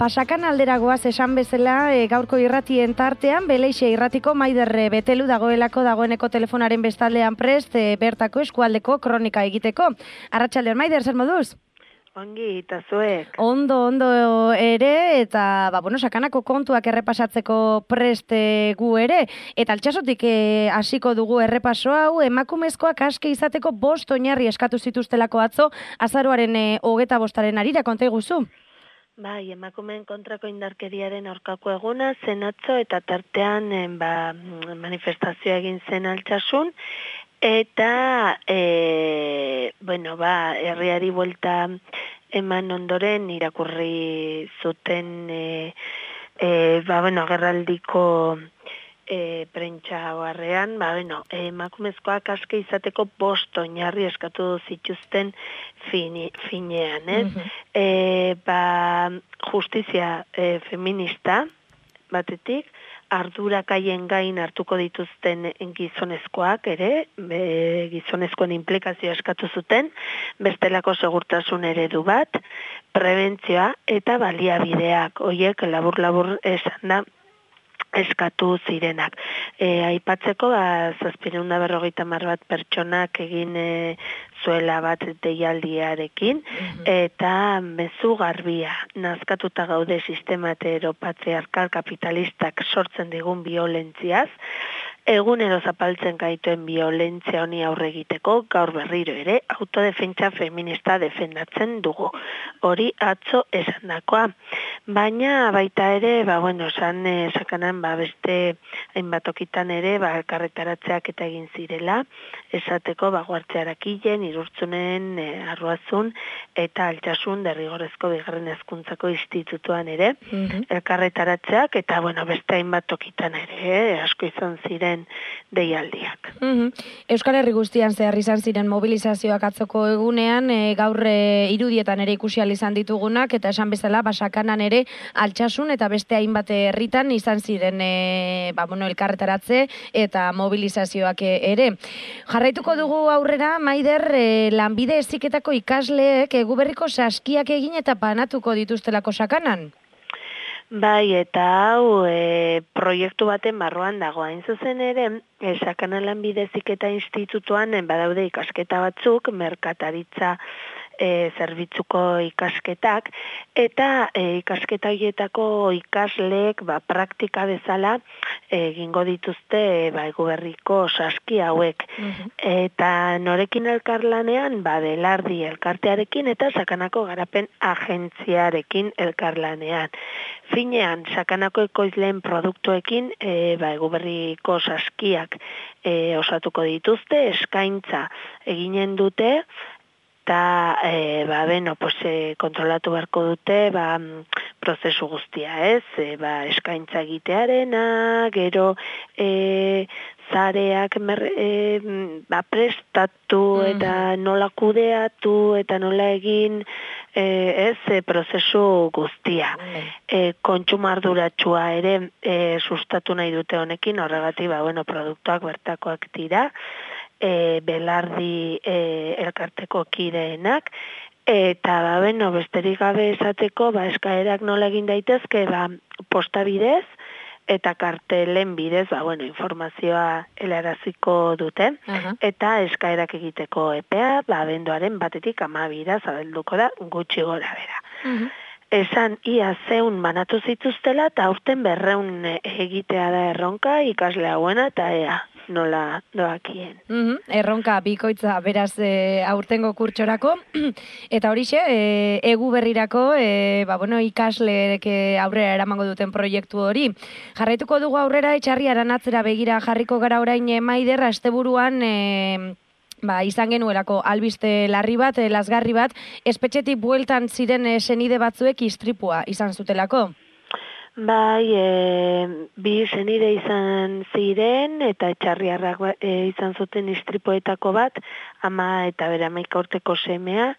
Pasakan alderagoaz esan bezala, gaurko irratien tartean, Beleixe irratiko Maider Betelu dagoeneko telefonaren bestaldean prest, bertako eskualdeko kronika egiteko. Arratsaldeon, Maider, zer moduz? Ongi, eta zuek. Ondo ere, eta, sakanako kontuak errepasatzeko prest gu ere. Eta altsasotik hasiko dugu errepaso hau, emakumezkoak aske izateko 5 oinarri eskatu zituztelako atzo, azaroaren 25 arira, konta iguzu? Bai, emakumeen kontrako indarkeriaren aurkako eguna, zen atzo eta tartean manifestazioa egin zen altsasun, eta, herriari buelta eman ondoren irakurri zuten, agerraldiko prentsa oharrean, emakumezkoak aske izateko 5 oinarri eskatu zituzten finean, ez? Justizia feminista batetik, ardurak haien gain hartuko dituzten gizonezkoak ere, gizonezkoen implikazioa eskatu zuten, bestelako segurtasun eredu bat, prebentzioa eta baliabideak, hoiek labur esan da, eskatu zirenak. Aipatzeko, 750 bat pertsonak egin zuela bat deialdiarekin, eta mezu garbia, nazkatuta gaude sistema heteropatriarkal kapitalistak sortzen digun violentziaz, egunero zapaltzen gaituen violentzia honi aurre egiteko, gaur berriro ere, autodefentsa feminista defendatzen dugu. Hori atzo esandakoa. Baina baita ere, sakanan beste hainbat okitan ere, elkarretaratzeak eta egin zirela, esateko guartzearakilen, Irurtzunen, Arruazun eta Altsasun derrigorrezko bigarren hezkuntzako institutuan ere, elkarretaratzeak eta beste hainbat okitan ere, asko izan ziren deialdiak. Euskal Herri guztian zehar izan ziren mobilizazioak atzoko egunean, gaur irudietan ere ikusi ahal izan ditugunak, eta esan bezala, Basakanan ere Altsasun eta beste hainbat herritan izan ziren elkarretaratze eta mobilizazioak ere. Jarraituko dugu aurrera, Maider, lanbide heziketako ikasleek Eguberriko saskiak egin eta banatuko dituztelako Sakanan? Bai, eta hau proiektu baten barruan dago. Hain zuzen ere, Sakana lanbide heziketa institutuan badaude ikasketa batzuk, merkataritza zerbitzuko ikasketak, eta ikasketa horietako ikasleek praktika bezala egingo dituzte Eguberriko saski hauek. Eta norekin elkarlanean, Belardi elkartearekin eta Sakanako garapen agentziarekin elkarlanean. Finean, Sakanako ekoizleen produktuekin Eguberriko saskiak osatuko dituzte, eskaintza eginen dute, eta kontrolatu beharko dute prozesu guztia, ez? Eskaintza egitearena, gero zareak prestatu eta nola kudeatu eta nola egin prozesu guztia. Kontsumarduratxua ere sustatu nahi dute honekin, horregatik produktuak bertakoak dira, Belardi elkarteko kideenak, eta besterik gabe esateko eskaerak nola egin daitezke posta bidez eta kartelen bidez informazioa helaraziko dute, eta eskaerak egiteko epea abenduaren 1-tik 12 zabalduko da gutxi gora bera. Esan ia 100 banatu zituztela eta aurten 200 egitea da erronka ikasle hauena eta ea nola doakien. Erronka bikoitza beraz aurtengo kurtsorako, eta horixe, Eguberrirako ikasleek aurrera eramango duten proiektu hori. Jarraituko dugu aurrera, Etxarri Aranatzera begira jarriko gara orain, Maider, asteburuan izan genuelako albiste larri bat, lazgarri bat, espetxetik bueltan ziren senide batzuek istripua izan zutelako. Bai, bi senide izan ziren eta etxarriarrak izan zuten istripoetako bat, ama eta bere 11 urteko semea,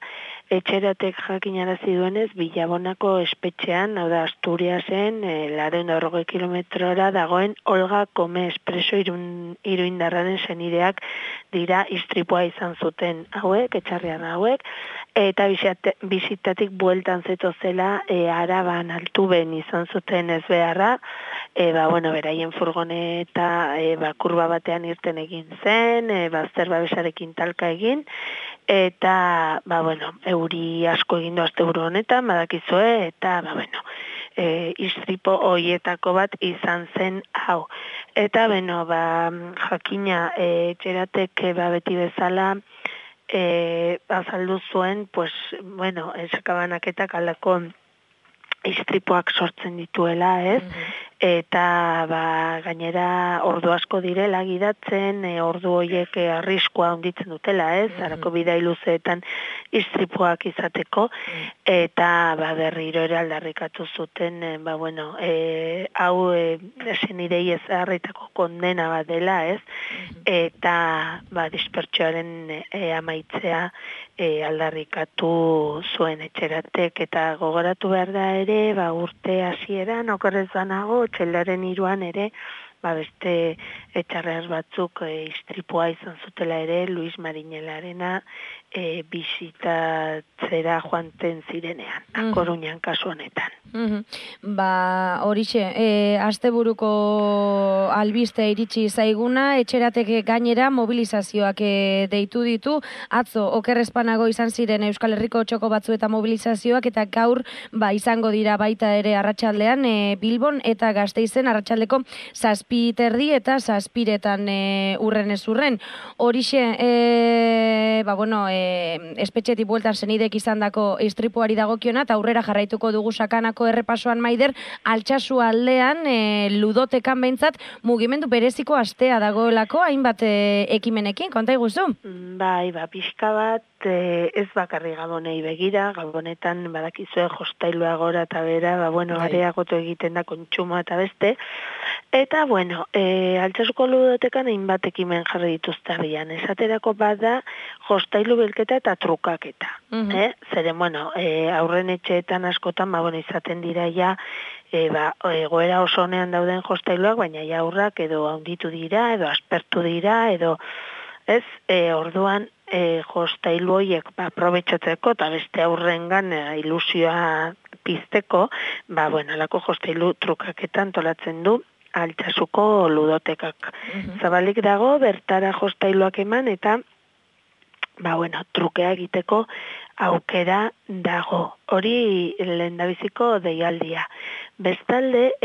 Etxeratek jakinarazi duenez, Bilabonako espetxean, hau da Asturiasen, 240 kilometrora dagoen Olga Kome Espreso iruindarraren senideak dira istripua izan zuten hauek, etxarrian hauek, eta bizitatik bueltan zetozela Araban Altuben izan zuten ezbeharra, beraien furgoneta kurba batean irten egin zen, bazter babesarekin talka egin, eta, euri asko egin du asteburu honetan, badakizue, eta, istripo hoietako bat izan zen hau. Eta, jakina, etxeratek beti bezala, azaldu zuen, sakabanaketak aldako istripoak sortzen dituela, ez? Eta gainera ordu asko direla gidatzen, ordu horiek arriskua handitzen dutela, ez? Arako bidai luzeetan istripoak izateko, eta berriro ere aldarrikatu zuten, hau senidei ez harritako kondena bat dela, ez? Eta dispertsioaren amaitzea aldarrikatu zuen etxeratek, eta gogoratu behar da ere, urte hasieran okerrez banago, txeldaren 3an ere, beste etxarreaz batzuk istripua izan zutela ere, Luis Mariñelarena bisitatzera joanten zirenean, Koruñan kasu honetan. Horixe, asteburuko albiste iritsi zaiguna, etxerateke gainera mobilizazioak deitu ditu, atzo okerrezpanago izan ziren Euskal Herriko txoko batzu eta mobilizazioak, eta gaur izango dira baita ere arratsaldean Bilbon eta Gasteizen arratsaldeko 7:30 eta 7:00 urren ez urren. Horixe, espetxetik bueltan senidek izandako istripuari dagokiona, eta aurrera jarraituko dugu sakanako errepasoan, Maider, Altsasu aldean, ludotekan behintzat, mugimendu bereziko astea dagoelako, hainbat ekimenekin, konta iguzu? Pixka bat, ez bakarri Gabonei begira, Gabonetan badakizue jostailua gora eta bera, areagotu egiten da kontsumoa eta beste, eta, Altsasuko ludotekan hainbat ekimen jarri dituzte abian, esaterako bada jostailu bilketa eta trukaketa. Zeren, aurren etxeetan askotan, izaten dira ja, egoera oso honean dauden jostailuak, baina ja aurrak edo handitu dira, edo aspertu dira, edo, ez, orduan, jostailu horiek aprobetxatzeko eta beste aurrengan ilusioa pizteko, alako jostailu trukaketan tolatzen du Altsasuko ludotekak. Zabalik dago, bertara jostailuak eman eta trukea egiteko aukera dago. Hori lehendabiziko deialdia. Bestalde,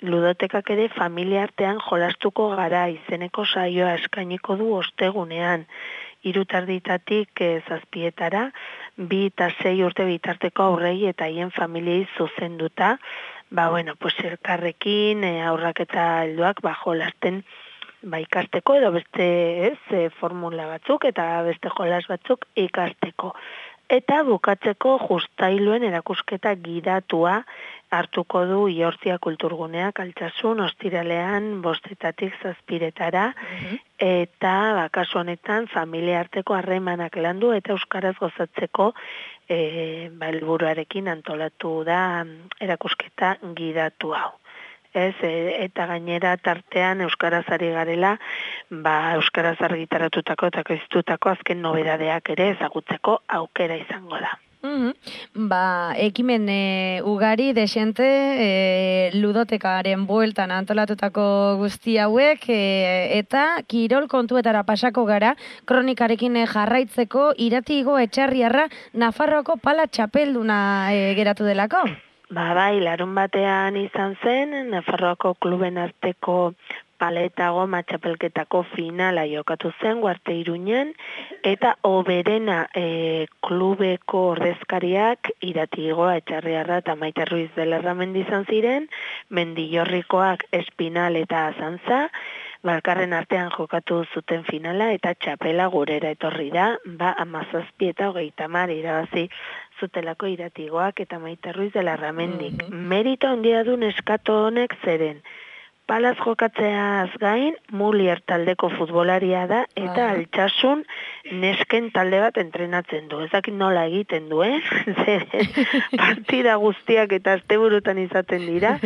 ludotekak ere familia artean jolastuko gara izeneko saioa eskainiko du ostegunean. 3:30 7:00, 2 eta 6 urte bitarteko aurrei eta haien familiei zuzenduta, elkarrekin aurrak eta helduak jolasten ikasteko, edo beste formula batzuk eta beste jolas batzuk ikasteko. Eta bukatzeko justailuen erakusketa gidatua hartuko du Iortzia Kulturguneak Altsasun ostiralean 5:00 7:00, eta kasu honetan familia arteko harremanak landu eta euskaraz gozatzeko helburuarekin antolatu da erakusketa gidatu hau. Eta gainera tartean euskaraz ari garela, euskaraz argitaratutako eta ekoiztutako azken nobedadeak ere ezagutzeko aukera izango da. Ekimen ugari desente ludotekaren bueltan antolatutako guzti hauek, eta kirol kontuetara pasako gara, kronikarekin jarraitzeko Iratigo Etxarriarra Nafarroako pala txapelduna geratu delako? Larun batean izan zen, Nafarroako kluben arteko paleta goma txapelketako finala jokatu zen, Guarte Iruñan, eta Oberena klubeko ordezkariak Iratigoa Etxarriarra eta Maite Ruiz de Lerramendi izan ziren, Mendillorrikoak Espinal eta Azantza, Balkarren artean jokatu zuten finala eta txapela gurera etorri da, 17 eta 30 irabazi zutelako Iratigoak eta Maite Ruiz de Lerramendik. Merito handia du neskato honek zeren, palaz jokatzeaz gain, Mulier taldeko futbolaria da, eta Altsasun nesken talde bat entrenatzen du. Ez dakit nola egiten duen, partida guztiak eta asteburutan izaten dira,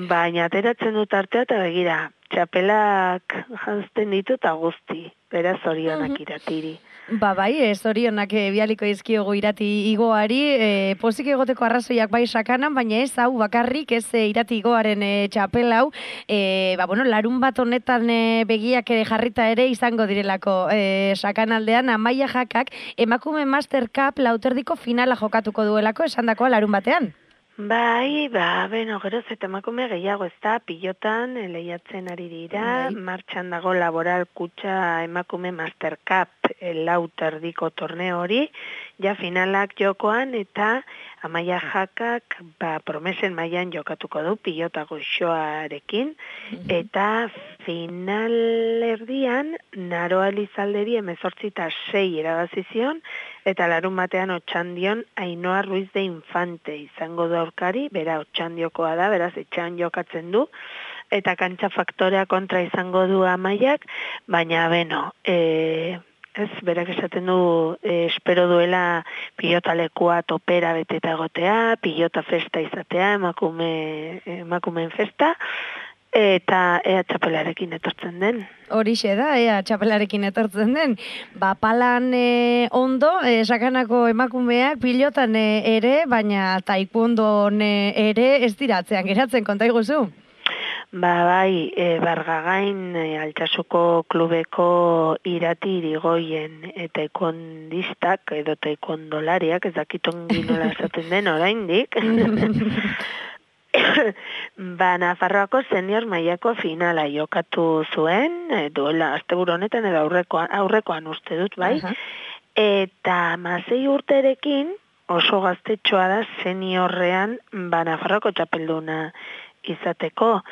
baina ateratzen dut artea eta begira, txapelak janzten ditu eta guzti, beraz zorionak iratiri. Bai, zorionak bialiko izkiogu irati igoari, pozik egoteko arrazoiak bai sakanan, baina ez hau bakarrik, ez irati igoaren txapel hau, larun bat honetan begiak jarrita ere izango direlako sakanaldean, Amaia Jakak emakume Master Cup lauterdiko finala jokatuko duelako, esandakoa larun batean. Bai, geroz eta emakume gehiago ez da, pilotan lehiatzen ari dira, martxan dago laboral kutxa emakume Master Cup lauterdiko torneo hori, ja finalak jokoan eta Amaia Jakak promesen mailan jokatuko du pilota goxoarekin, eta finalerdian Naroa Elizalderi 18-6 erabazizion, eta larun batean Otxandion Ainhoa Ruiz de Infante izango du aurkari, bera Otxandiokoa da, beraz etxean jokatzen du, eta kantxa faktorea kontra izango du Amaiak, baina ez, berak esaten du, espero duela pilota lekua topera beteta egotea, pilota festa izatea, emakumeen festa, eta ea txapelarekin etortzen den. Horixe da, ea txapelarekin etortzen den. Palan ondo, sakanako emakumeak pilotan ere, baina taekwondo ere ez diratzean geratzen, konta iguzu? Bai, Bargagain Altsasuko klubeko irati irigoien taekwondistak edo taekwondolariak, ez dakiton ginola esaten den oraindik. Nafarroako senior mailako finala jokatu zuen, duela asteburu honetan edo aurrekoan uste dut, bai. Eta 16 urterekin oso gaztetxoa da seniorrean Nafarroako txapelduna izateko.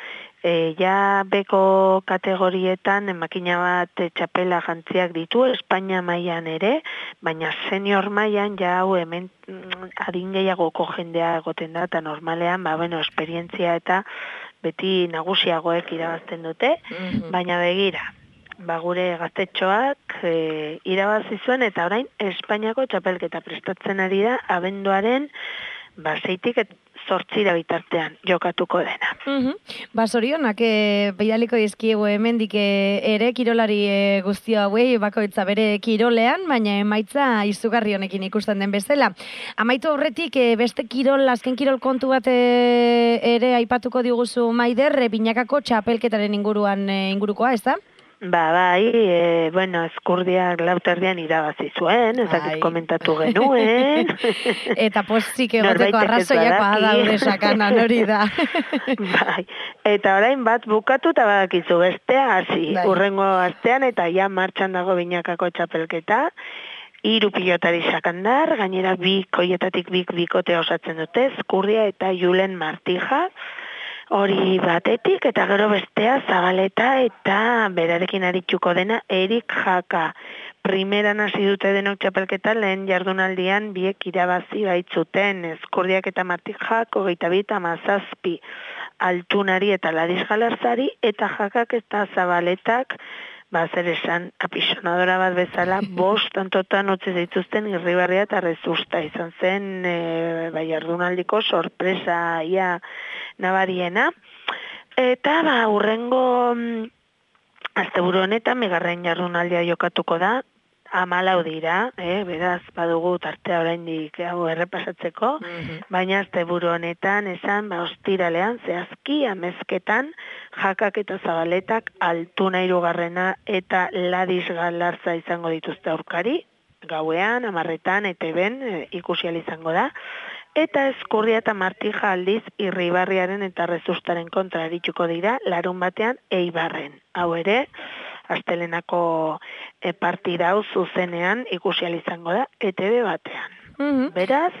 Ja beko kategorietan makina bat txapela jantziak ditu, Espainia mailan ere, baina senior mailan ja hau hemen adin gehiagoko jendea egoten da, eta normalean, esperientzia eta beti nagusiagoek irabazten dute, baina begira, gure gaztetxoak irabazi zuen, eta orain Espainiako txapelketa prestatzen ari da, abenduaren 6tik 8 bitartean jokatuko dena. Zorionak bidaliko dizkiegu hemendik ere kirolari guztio hauei bakoitza bere kirolean, baina emaitza izugarri honekin ikusten den bezala. Amaitu aurretik beste azken kirol kontu bat ere aipatuko diguzu Maider, binakako txapelketaren ingurukoa, ez da? Bai, Eskurdiak lauterdian irabazi zuen, ezakit komentatu genuen. Eta pozik egoteko arrazoiak badaude sakanan hori da. Bai, eta orain bat bukatu eta badakizu bestea hasi, urrengo astean eta ja martxan dago binakako txapelketa. 3 pilotari sakandar, gainera koietatik bikote osatzen dute, Eskurdia eta Julen Martija. Hori batetik, eta gero bestea Zabaleta eta berarekin arituko dena Erik Jaka. Primeran hasi dute denok txapelketa, lehen jardunaldian biek irabazi baitzuten, Eskurdiak eta Martijak 22-17 Altunari eta Ladis Galarzari, eta Jakak eta Zabaletak zer esan, apisonadora bat bezala, 5 tantotan utzi dituzten Irribarria eta Rezusta. Izan zen, jardunaldiko sorpresa ia nabariena. Eta, urrengo asteburu honetan, bigarren jardunaldia jokatuko da, 14 dira, beraz, badugu tartea oraindik errepasatzeko, baina asteburu honetan, esan, ostiralean, zehazki, amezketan, Jakak eta Zabaletak Altuna 3. eta Ladis Galarza izango dituzte aurkari, gauean, 10:00 ETB-en ikusi ahal izango da, eta Eskurdia eta Martija aldiz Irribarriaren eta Rezustaren kontra arituko dira, larun batean Eibarren. Hau ere, astelenako partida hau zuzenean ikusi ahal izango da ETB batean. Beraz,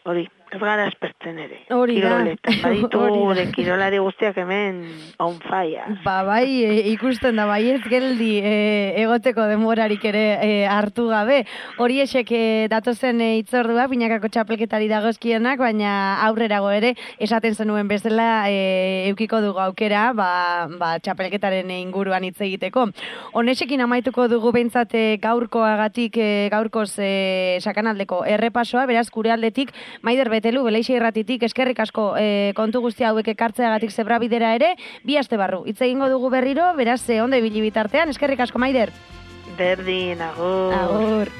hori, ez gara esperto. pasatzen ere. Hori da. Kiroletan, baditu gure kirolari guztiak hemen on fire. Bai, ikusten da, bai ez geldi egoteko denborarik ere hartu gabe. Hori esek datozen itzordua, binakako txapelketari dagozkienak, baina aurrerago ere, esaten zenuen bezala eukiko dugu aukera, txapelketaren inguruan hitz egiteko. Honesekin amaituko dugu behintzat gaurkoagatik, gaurkoz sakanaldeko errepasoa, beraz gure aldetik, Maider Betelu, Beleixe Irratitik, eskerrik asko kontu guztia hauek ekartzeagatik Zebrabidera ere, 2 aste barru. Hitz egingo dugu berriro, beraz ondo ibili bitartean, eskerrik asko Maider. Berdin, agur. Agur.